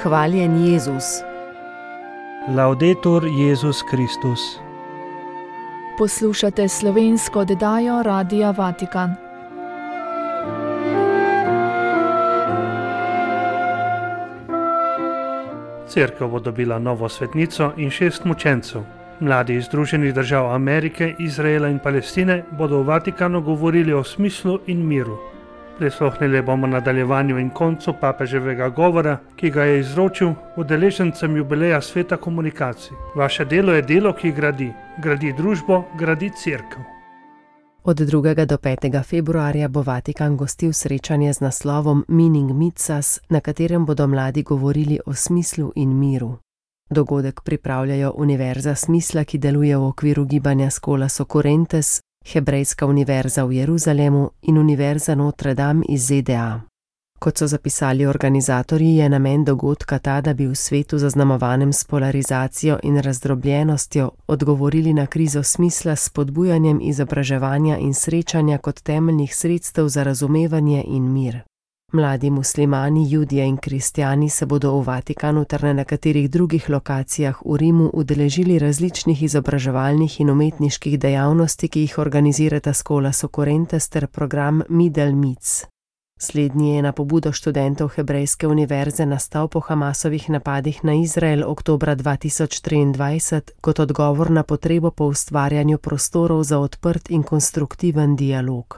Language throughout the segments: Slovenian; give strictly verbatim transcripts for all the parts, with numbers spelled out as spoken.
Hvaljen Jezus. Laudetur Jezus Kristus. Poslušate slovensko oddajo Radia Vatikan. Cerkev bo dobila novo svetnico in šest mučencev. Mladi iz Združenih držav Amerike, Izraela in Palestine bodo v Vatikanu govorili o smislu in miru. Prisluhnili bomo nadaljevanju in koncu papeževega govora, ki ga je izročil udeležencem jubileja sveta komunikacij. Vaše delo je delo, ki gradi. Gradi družbo, gradi cerkev. Od drugega do petega februarja bo Vatikan gostil srečanje z naslovom Meaning Meets Us, na katerem bodo mladi govorili o smislu in miru. Dogodek pripravljajo Univerza smisla, ki deluje v okviru gibanja Scholas Occurrentes, Hebrejska univerza v Jeruzalemu in Univerza Notre Dame iz Z D A. Kot so zapisali organizatorji, je namen dogodka ta, da bi v svetu zaznamovanem s polarizacijo in razdrobljenostjo odgovorili na krizo smisla s spodbujanjem izobraževanja in srečanja kot temeljnih sredstev za razumevanje in mir. Mladi muslimani, judje in kristjani se bodo v Vatikanu ter na nekaterih drugih lokacijah v Rimu udeležili različnih izobraževalnih in umetniških dejavnosti, ki jih organizirata Scholas Occurrentes ter program Middle Meets. Slednji je na pobudo študentov Hebrejske univerze nastal po Hamasovih napadih na Izrael oktobra dva tisoč triindvajset kot odgovor na potrebo po ustvarjanju prostorov za odprt in konstruktiven dialog.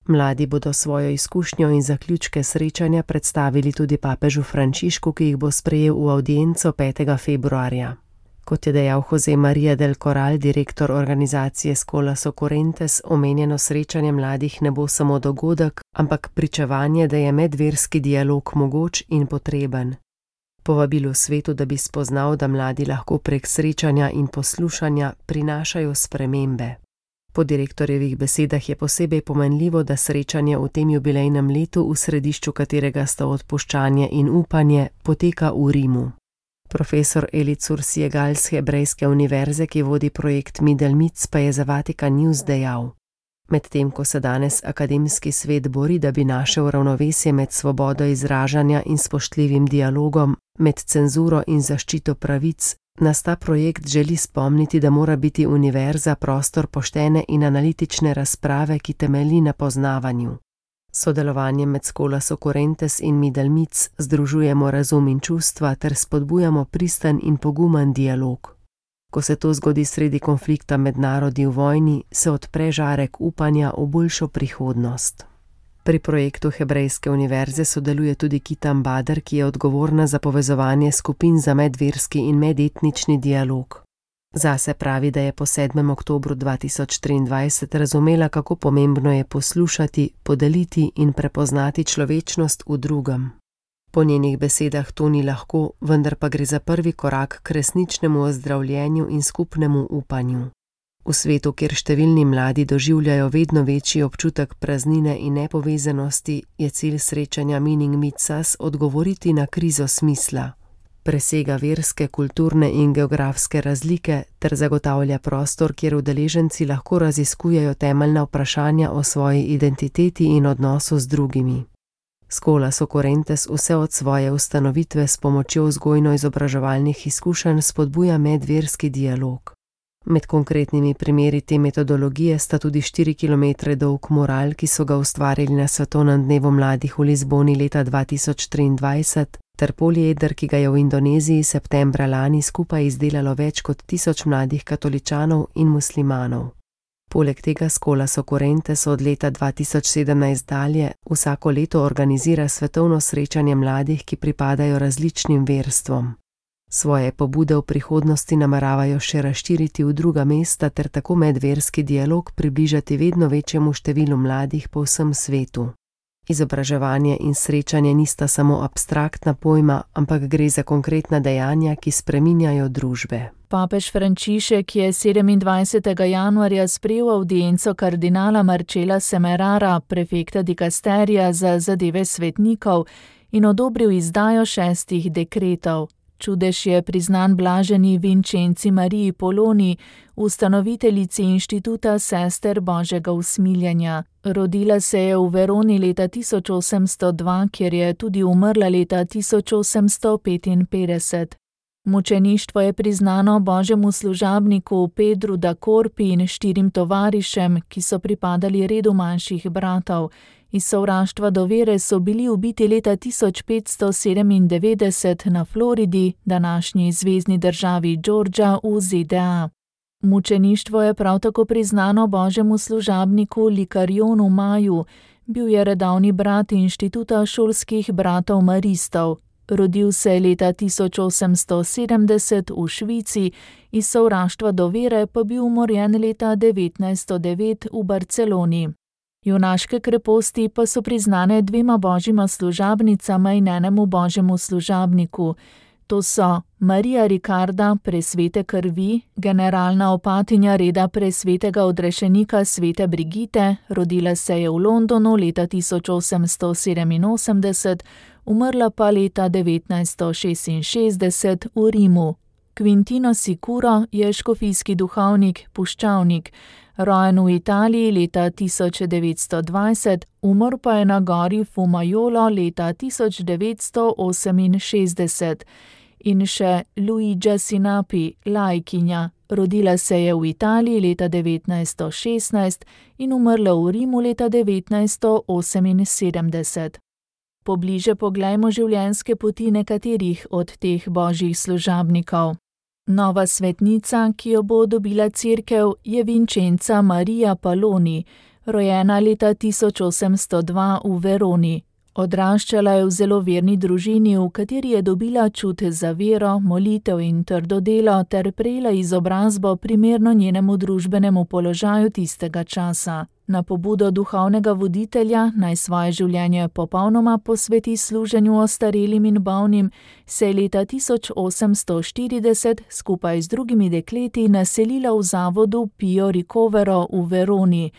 Mladi bodo svojo izkušnjo in zaključke srečanja predstavili tudi papežu Frančišku, ki jih bo sprejel v avdienco petega februarja. Kot je dejal Jose Maria del Corral, direktor organizacije Scholas Occurrentes, omenjeno srečanje mladih ne bo samo dogodek, ampak pričevanje, da je medverski dialog mogoč in potreben. Povabilo svetu, da bi spoznal, da mladi lahko prek srečanja in poslušanja prinašajo spremembe. Po direktorjevih besedah je posebej pomenljivo, da srečanje v tem jubilejnem letu, v središču katerega sta odpuščanje in upanje, poteka v Rimu. Profesor Elicur Siegal z Hebrejske univerze, ki vodi projekt Middle Meets, pa je za Vatikan News dejal: Medtem ko se danes akademski svet bori, da bi našel ravnovesje med svobodo izražanja in spoštljivim dialogom, med cenzuro in zaščito pravic, nas ta projekt želi spomniti, da mora biti univerza prostor poštene in analitične razprave, ki temelji na poznavanju. Sodelovanje med Scholas Occurrentes in Middle Meets združujemo razum in čustva ter spodbujamo pristan in pogumen dialog. Ko se to zgodi sredi konflikta med narodi v vojni, se odpre žarek upanja v boljšo prihodnost. Pri projektu Hebrejske univerze sodeluje tudi Kitam Bader, ki je odgovorna za povezovanje skupin za medverski in medetnični dialog. Zase pravi, da je po sedmem oktobru dva tisoč triindvajset razumela, kako pomembno je poslušati, podeliti in prepoznati človečnost v drugem. Po njenih besedah to ni lahko, vendar pa gre za prvi korak k resničnemu ozdravljenju in skupnemu upanju. V svetu, kjer številni mladi doživljajo vedno večji občutek praznine in nepovezanosti, je cilj srečanja Meaning Meets Us odgovoriti na krizo smisla. Presega verske, kulturne in geografske razlike ter zagotavlja prostor, kjer udeleženci lahko raziskujejo temeljna vprašanja o svoji identiteti in odnosu z drugimi. Scholas Occurrentes vse od svoje ustanovitve s pomočjo vzgojno-izobraževalnih izkušenj spodbuja medverski dialog. Med konkretnimi primeri te metodologije sta tudi štiri kilometre dolg mural, ki so ga ustvarili na Svetovnem dnevu mladih v Lizboni leta dva tisoč triindvajset, ter polieder, ki ga je v Indoneziji septembra lani skupaj izdelalo več kot tisoč mladih katoličanov in muslimanov. Poleg tega Scholas Occurrentes od leta dva tisoč sedemnajst dalje vsako leto organizira svetovno srečanje mladih, ki pripadajo različnim verstvom. Svoje pobude v prihodnosti nameravajo še razširiti v druga mesta ter tako medverski dialog približati vedno večjemu številu mladih po vsem svetu. Izobraževanje in srečanje nista samo abstraktna pojma, ampak gre za konkretna dejanja, ki spreminjajo družbe. Papež Frančišek je sedemindvajsetega januarja sprejel avdienco kardinala Marcela Semerara, prefekta dikasterija za zadeve svetnikov, in odobril izdajo šestih dekretov. Čudež je priznan blaženi Vincenci Mariji Poloni, ustanoviteljici inštituta sester Božjega usmiljenja. Rodila se je v Veroni leta tisoč osemsto dva, kjer je tudi umrla leta tisoč osemsto petinpetdeset. Mučeništvo je priznano božjemu služabniku Pedru da Corpi in štirim tovarišem, ki so pripadali redu manjših bratov. Iz sovraštva do vere so bili ubiti leta tisoč petsto sedemindevetdeset na Floridi, današnji zvezni državi Georgia v Z D A. Mučeništvo je prav tako priznano božjemu služabniku Likarionu Maju, bil je redovni brat inštituta šolskih bratov maristov. Rodil se je leta tisoč osemsto sedemdeset v Švici, iz sovraštva do vere pa bil umorjen leta devetnajststo devet v Barceloni. Junaške kreposti pa so priznane dvema božjima služabnicama in enemu božjemu služabniku. To so Marija Ricarda, presvete krvi, generalna opatinja reda presvetega odrešenika svete Brigite, rodila se je v Londonu leta tisoč osemsto sedeminosemdeset, umrla pa leta devetnajststo šestinšestdeset v Rimu. Quintino Sicuro je škofijski duhovnik, puščavnik, rojen v Italiji leta tisoč devetsto dvajset, umrl pa je na gori Fumajolo leta tisoč devetsto oseminšestdeset. In še Luigia Sinapi, laikinja, rodila se je v Italiji leta devetnajststo šestnajst in umrla v Rimu leta devetnajststo oseminsedemdeset. Pobliže poglejmo življenjske poti nekaterih od teh božjih služabnikov. Nova svetnica, ki jo bo dobila cerkev, je Vincenca Marija Poloni, rojena leta tisoč osemsto dva v Veroni. Odraščala je v zelo verni družini, v kateri je dobila čut za vero, molitev in trdo delo ter prejela izobrazbo primerno njenemu družbenemu položaju tistega časa. Na pobudo duhovnega voditelja, naj svoje življenje popolnoma posveti služenju ostarelim in bolnim, se je leta tisoč osemsto štirideset skupaj z drugimi dekleti naselila v zavodu Pio Ricovero v Veroni.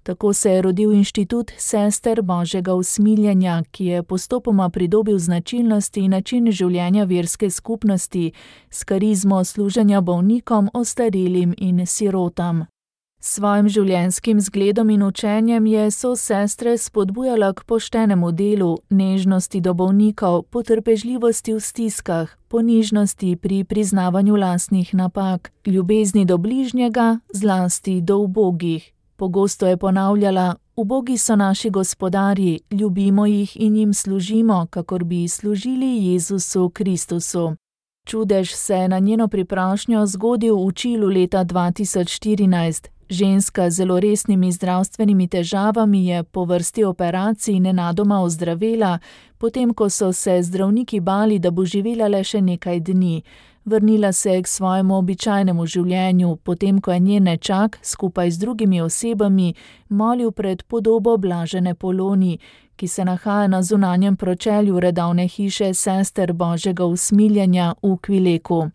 Tako se je rodil inštitut sester Božjega usmiljenja, ki je postopoma pridobil značilnosti in način življenja verske skupnosti s karizmo služenja bolnikom, ostarelim in sirotam. S svojim življenjskim zgledom in učenjem je so sestre spodbujala k poštenemu delu, nežnosti do bolnikov, potrpežljivosti v stiskah, ponižnosti pri priznavanju lastnih napak, ljubezni do bližnjega, zlasti do ubogih. Pogosto je ponavljala: ubogi so naši gospodarji, ljubimo jih in jim služimo, kakor bi služili Jezusu Kristusu. Čudež se je na njeno priprošnjo zgodil v Čilu leta dva tisoč štirinajst. Ženska z zelo resnimi zdravstvenimi težavami je po vrsti operacij nenadoma ozdravela, potem ko so se zdravniki bali, da bo živela le še nekaj dni. Vrnila se je k svojemu običajnemu življenju, potem ko je njen nečak skupaj z drugimi osebami molil pred podobo blažene Poloni, ki se nahaja na zunanjem pročelju redovne hiše sester Božjega usmiljenja v Kvileku.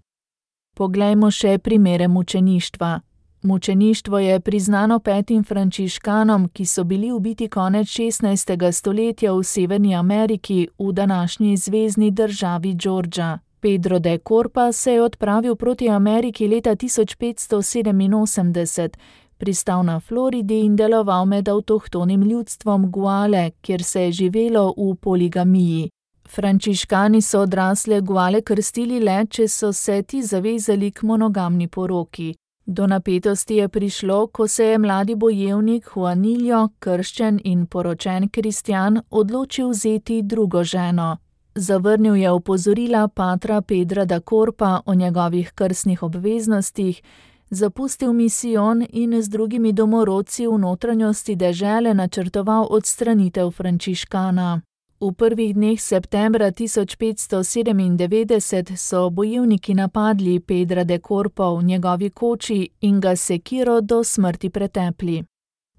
Poglejmo še primere mučeništva. Mučeništvo je priznano petim frančiškanom, ki so bili ubiti konec šestnajstega stoletja v Severni Ameriki v današnji zvezni državi Georgia. Pedro de Corpa se je odpravil proti Ameriki leta tisoč petsto sedeminosemdeset, pristal na Floridi in deloval med avtohtonim ljudstvom Guale, kjer se je živelo v poligamiji. Frančiškani so odrasle Guale krstili le, če so se ti zavezali k monogamni poroki. Do napetosti je prišlo, ko se je mladi bojevnik Juanillo, krščen in poročen kristjan, odločil vzeti drugo ženo. Zavrnil je opozorila patra Pedra da Corpa o njegovih krstnih obveznostih, zapustil misijon in z drugimi domorodci v notranjosti dežele načrtoval odstranitev frančiškana. V prvih dneh septembra tisoč petsto sedemindevetdeset so bojevniki napadli Pedra de Corpa v njegovi koči in ga sekiro do smrti pretepli.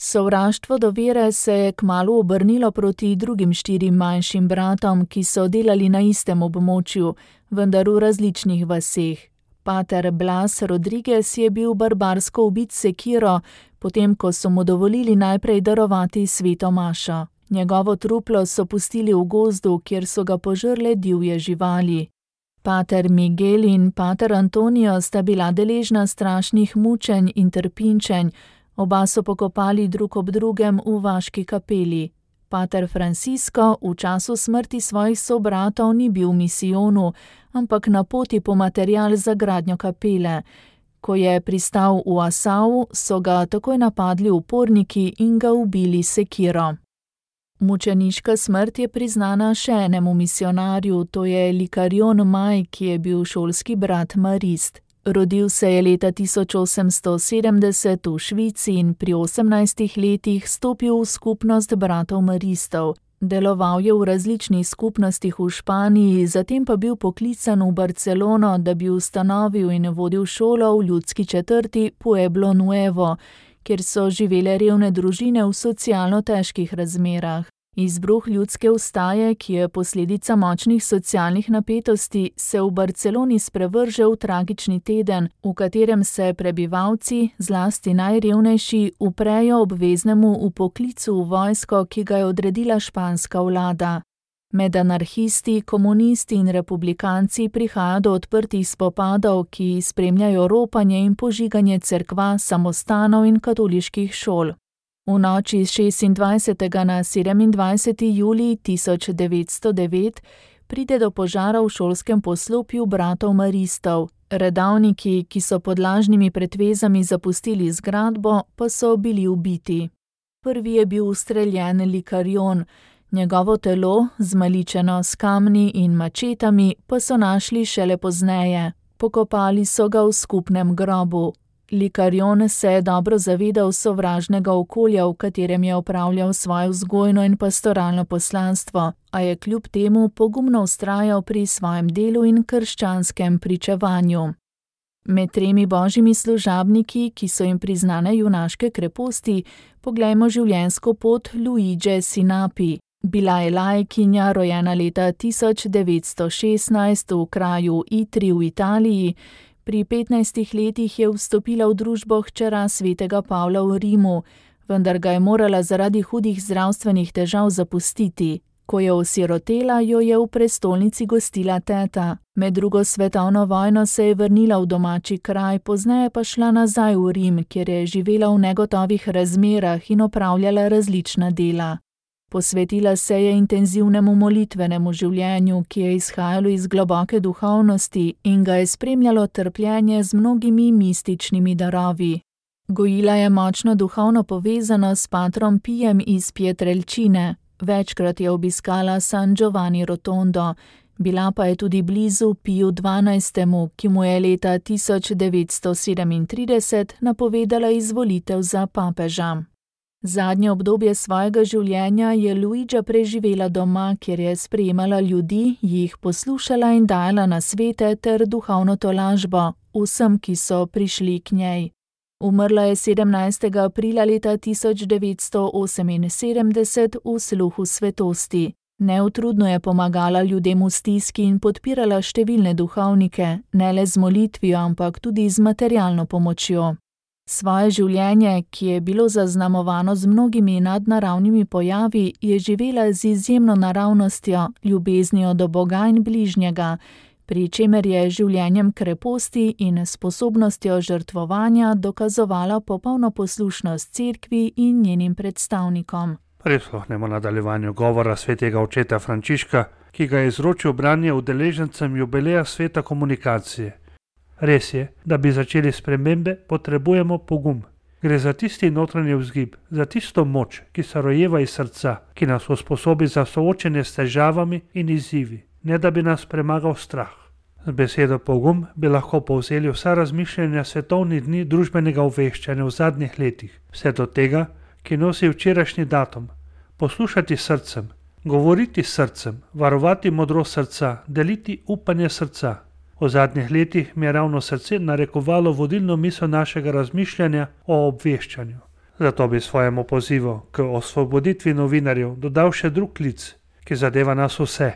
Sovraštvo do vere se je kmalu obrnilo proti drugim štirim manjšim bratom, ki so delali na istem območju, vendar v različnih vaseh. Pater Blas Rodriguez je bil barbarsko ubit sekiro, potem ko so mu dovolili najprej darovati sveto mašo. Njegovo truplo so pustili v gozdu, kjer so ga požrle divje živali. Pater Miguel in pater Antonijo sta bila deležna strašnih mučenj in trpinčenj, oba so pokopali drug ob drugem v vaški kapeli. Pater Francisco v času smrti svojih sobratov ni bil v misijonu, ampak na poti po material za gradnjo kapele. Ko je pristal v Assau, so ga takoj napadli uporniki in ga ubili sekiro. Mučeniška smrt je priznana še enemu misionarju, to je Likarion Maj, ki je bil šolski brat Marist. Rodil se je leta tisoč osemsto sedemdeset v Švici in pri osemnajstih letih stopil v skupnost bratov Maristov. Deloval je v različnih skupnostih v Španiji, zatem pa bil poklican v Barcelono, da bi ustanovil in vodil šolo v ljudski četrti Pueblo Nuevo, kjer so živele revne družine v socialno težkih razmerah. Izbruh ljudske vstaje, ki je posledica močnih socialnih napetosti, se v Barceloni sprevrže v tragični teden, v katerem se prebivalci, zlasti najrevnejši, uprejo obveznemu vpoklicu v vojsko, ki ga je odredila španska vlada. Med anarhisti, komunisti in republikanci prihaja do odprtih spopadov, ki spremljajo ropanje in požiganje cerkva, samostanov in katoliških šol. V noči s šestindvajsetega na sedemindvajseti julij tisoč devetsto devet pride do požara v šolskem poslopju bratov Maristov. Redavniki, ki so pod lažnimi pretvezami zapustili zgradbo, pa so bili ubiti. Prvi je bil ustreljen Likarion, njegovo telo, zmaličeno s kamni in mačetami, pa so našli šele pozneje. Pokopali so ga v skupnem grobu. Likarion se je dobro zavedal sovražnega okolja, v katerem je opravljal svoje vzgojno in pastoralno poslanstvo, a je kljub temu pogumno vztrajal pri svojem delu in krščanskem pričevanju. Med tremi božjimi služabniki, ki so jim priznane junaške kreposti, poglejmo življenjsko pot Luige Sinapi. Bila je laikinja, rojena leta tisoč devetsto šestnajst v kraju Itri v Italiji. Pri petnajstih letih je vstopila v družbo hčera svetega Pavla v Rimu, vendar ga je morala zaradi hudih zdravstvenih težav zapustiti. Ko je osirotela, jo je v prestolnici gostila teta. Med drugo svetovno vojno se je vrnila v domači kraj, pozneje pa šla nazaj v Rim, kjer je živela v negotovih razmerah in opravljala različna dela. Posvetila se je intenzivnemu molitvenemu življenju, ki je izhajalo iz globoke duhovnosti in ga je spremljalo trpljenje z mnogimi mističnimi darovi. Gojila je močno duhovno povezano s patrom Pijem iz Pietrelcine. Večkrat je obiskala San Giovanni Rotondo, bila pa je tudi blizu Piju dvanajstemu, ki mu je leta tisoč devetsto sedemintrideset napovedala izvolitev za papeža. Zadnje obdobje svojega življenja je Luigia preživela doma, kjer je sprejemala ljudi, jih poslušala in dajala nasvete ter duhovno tolažbo vsem, ki so prišli k njej. Umrla je sedemnajstega aprila leta tisoč devetsto oseminsedemdeset v sluhu svetosti. Neutrudno je pomagala ljudem v stiski in podpirala številne duhovnike, ne le z molitvijo, ampak tudi z materialno pomočjo. Svoje življenje, ki je bilo zaznamovano z mnogimi nadnaravnimi pojavi, je živela z izjemno naravnostjo, ljubeznijo do Boga in bližnjega, pri čemer je življenjem kreposti in sposobnostjo žrtvovanja dokazovala popolno poslušnost cerkvi in njenim predstavnikom. Prisluhnemo nadaljevanju govora svetega očeta Frančiška, ki ga je izročil branje udeležencem jubileja sveta komunikacije. Res je, da bi začeli spremembe, potrebujemo pogum. Gre za tisti notranji vzgib, za tisto moč, ki se rojeva iz srca, ki nas usposobi za soočenje s težavami in izzivi, ne da bi nas premagal strah. Z besedo pogum bi lahko povzeli vsa razmišljanja svetovnih dni družbenega obveščanja v zadnjih letih, vse do tega, ki nosi včerajšnji datum. Poslušati srcem, govoriti srcem, varovati modrost srca, deliti upanje srca. V zadnjih letih mi je ravno srce narekovalo vodilno misel našega razmišljanja o obveščanju. Zato bi svojemu pozivu k osvoboditvi novinarjev dodal še drug klic, ki zadeva nas vse.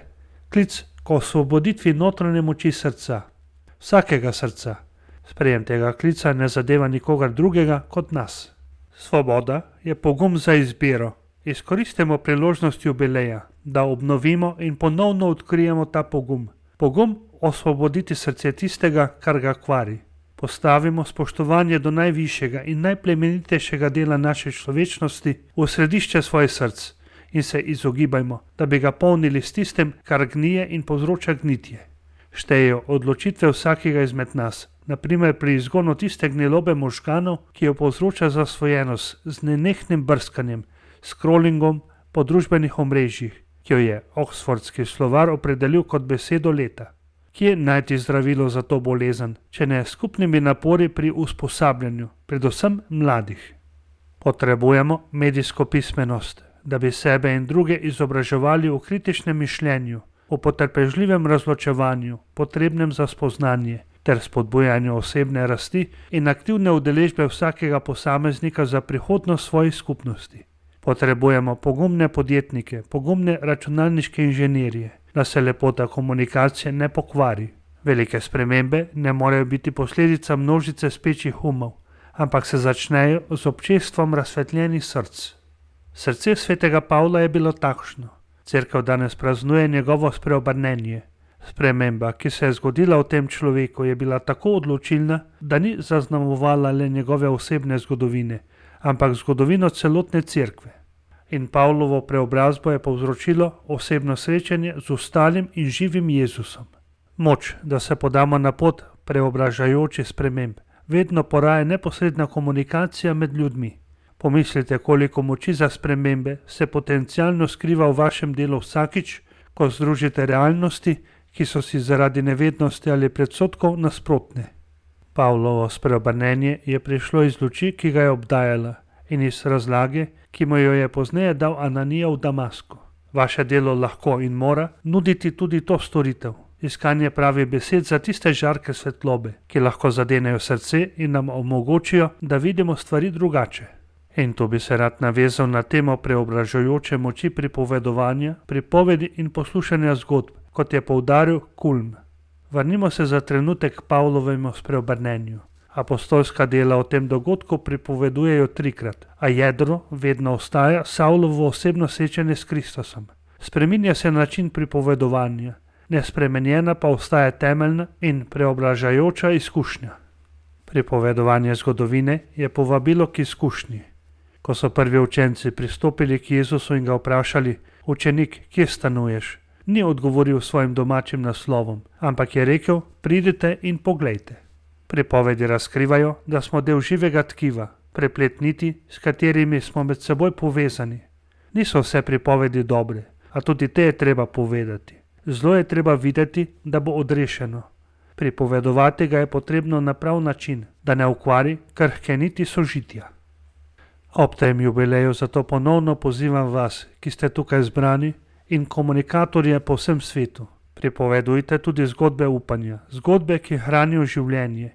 Klic k osvoboditvi notranje moči srca. Vsakega srca. Sprejem tega klica ne zadeva nikogar drugega kot nas. Svoboda je pogum za izbiro. Izkoristimo priložnost jubileja, da obnovimo in ponovno odkrijemo ta pogum. Pogum osvoboditi srce tistega, kar ga kvari. Postavimo spoštovanje do najvišjega in najplemenitejšega dela naše človečnosti v središče svojih src in se izogibajmo, da bi ga polnili s tistim, kar gnije in povzroča gnitje. Štejejo odločitve vsakega izmed nas, naprimer pri izgonu tiste gnilobe možganov, ki jo povzroča zasvojenost z nenehnim brskanjem, scrollingom po družbenih omrežjih, ki jo je Oxfordski slovar opredelil kot besedo leta. Kje najti zdravilo za to bolezen, če ne skupnimi napori pri usposabljanju, predvsem mladih? Potrebujemo medijsko pismenost, da bi sebe in druge izobraževali v kritičnem mišljenju, v potrpežljivem razločevanju, potrebnem za spoznanje, ter spodbujanju osebne rasti in aktivne udeležbe vsakega posameznika za prihodnost svojih skupnosti. Potrebujemo pogumne podjetnike, pogumne računalniške inženirje, da se lepota komunikacije ne pokvari. Velike spremembe ne morejo biti posledica množice spečih umov, ampak se začnejo z občestvom razsvetljenih src. Srce svetega Pavla je bilo takšno. Cerkev danes praznuje njegovo spreobrnenje. Sprememba, ki se je zgodila v tem človeku, je bila tako odločilna, da ni zaznamovala le njegove osebne zgodovine, ampak zgodovino celotne cerkve. In Pavlovo preobrazbo je povzročilo osebno srečanje z ostalim in živim Jezusom. Moč, da se podamo na pot preobražajočih sprememb, vedno poraja neposredna komunikacija med ljudmi. Pomislite, koliko moči za spremembe se potencialno skriva v vašem delu vsakič, ko združite realnosti, ki so si zaradi nevednosti ali predsodkov nasprotne. Pavlovo spreobrnenje je prišlo iz luči, ki ga je obdajala, in iz razlage, ki mu jo je pozneje dal Ananija v Damasku. Vaše delo lahko in mora nuditi tudi to storitev, iskanje pravih besed za tiste žarke svetlobe, ki lahko zadenejo srce in nam omogočijo, da vidimo stvari drugače. In tu bi se rad navezal na temo preobražajoče moči pripovedovanja, pripovedi in poslušanja zgodb, kot je poudaril Kulm. Vrnimo se za trenutek k Pavlovemu spreobrnenju. Apostolska dela o tem dogodku pripovedujejo trikrat, a jedro vedno ostaja Savlovo osebno srečanje s Kristusom. Spreminja se način pripovedovanja, nespremenjena pa ostaja temeljna in preobražajoča izkušnja. Pripovedovanje zgodovine je povabilo k izkušnji. Ko so prvi učenci pristopili k Jezusu in ga vprašali: Učenik, kje stanuješ? Ni odgovoril svojim domačim naslovom, ampak je rekel: Pridite in poglejte. Pripovedi razkrivajo, da smo del živega tkiva, preplet niti, s katerimi smo med seboj povezani. Niso vse pripovedi dobre, a tudi te je treba povedati. Zlo je treba videti, da bo odrešeno. Pripovedovati ga je potrebno na prav način, da ne ukvari krhke niti sožitja. Ob tem jubileju zato ponovno pozivam vas, ki ste tukaj zbrani, in komunikatorje po vsem svetu. Pripovedujte tudi zgodbe upanja, zgodbe, ki hranijo življenje.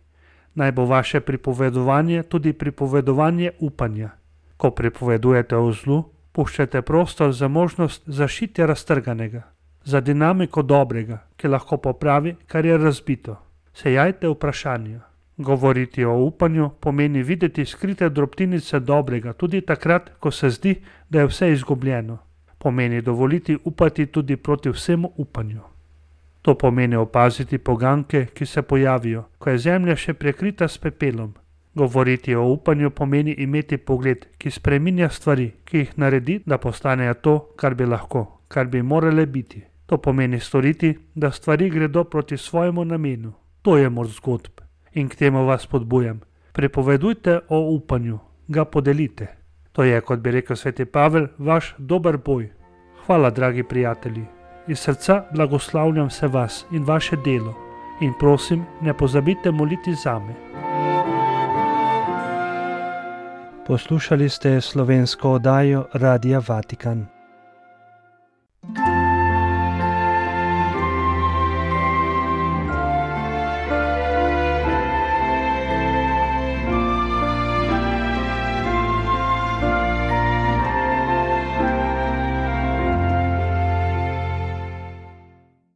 Naj bo vaše pripovedovanje tudi pripovedovanje upanja. Ko pripovedujete o zlu, puščate prostor za možnost zaščitja raztrganega, za dinamiko dobrega, ki lahko popravi, kar je razbito. Sejajte vprašanja. Govoriti o upanju pomeni videti skrite drobtinice dobrega, tudi takrat, ko se zdi, da je vse izgubljeno. Pomeni dovoliti upati tudi proti vsemu upanju. To pomeni opaziti poganke, ki se pojavijo, ko je zemlja še prekrita s pepelom. Govoriti o upanju pomeni imeti pogled, ki spreminja stvari, ki jih naredi, da postanejo to, kar bi lahko, kar bi morale biti. To pomeni storiti, da stvari gredo proti svojemu namenu. To je moč zgodb. In k temu vas spodbujam. Pripovedujte o upanju, ga podelite. To je, kot bi rekel sveti Pavel, vaš dober boj. Hvala, dragi prijatelji. Iz srca blagoslavljam se vas in vaše delo. In prosim, ne pozabite moliti zame. Poslušali ste slovensko oddajo Radia Vatikan.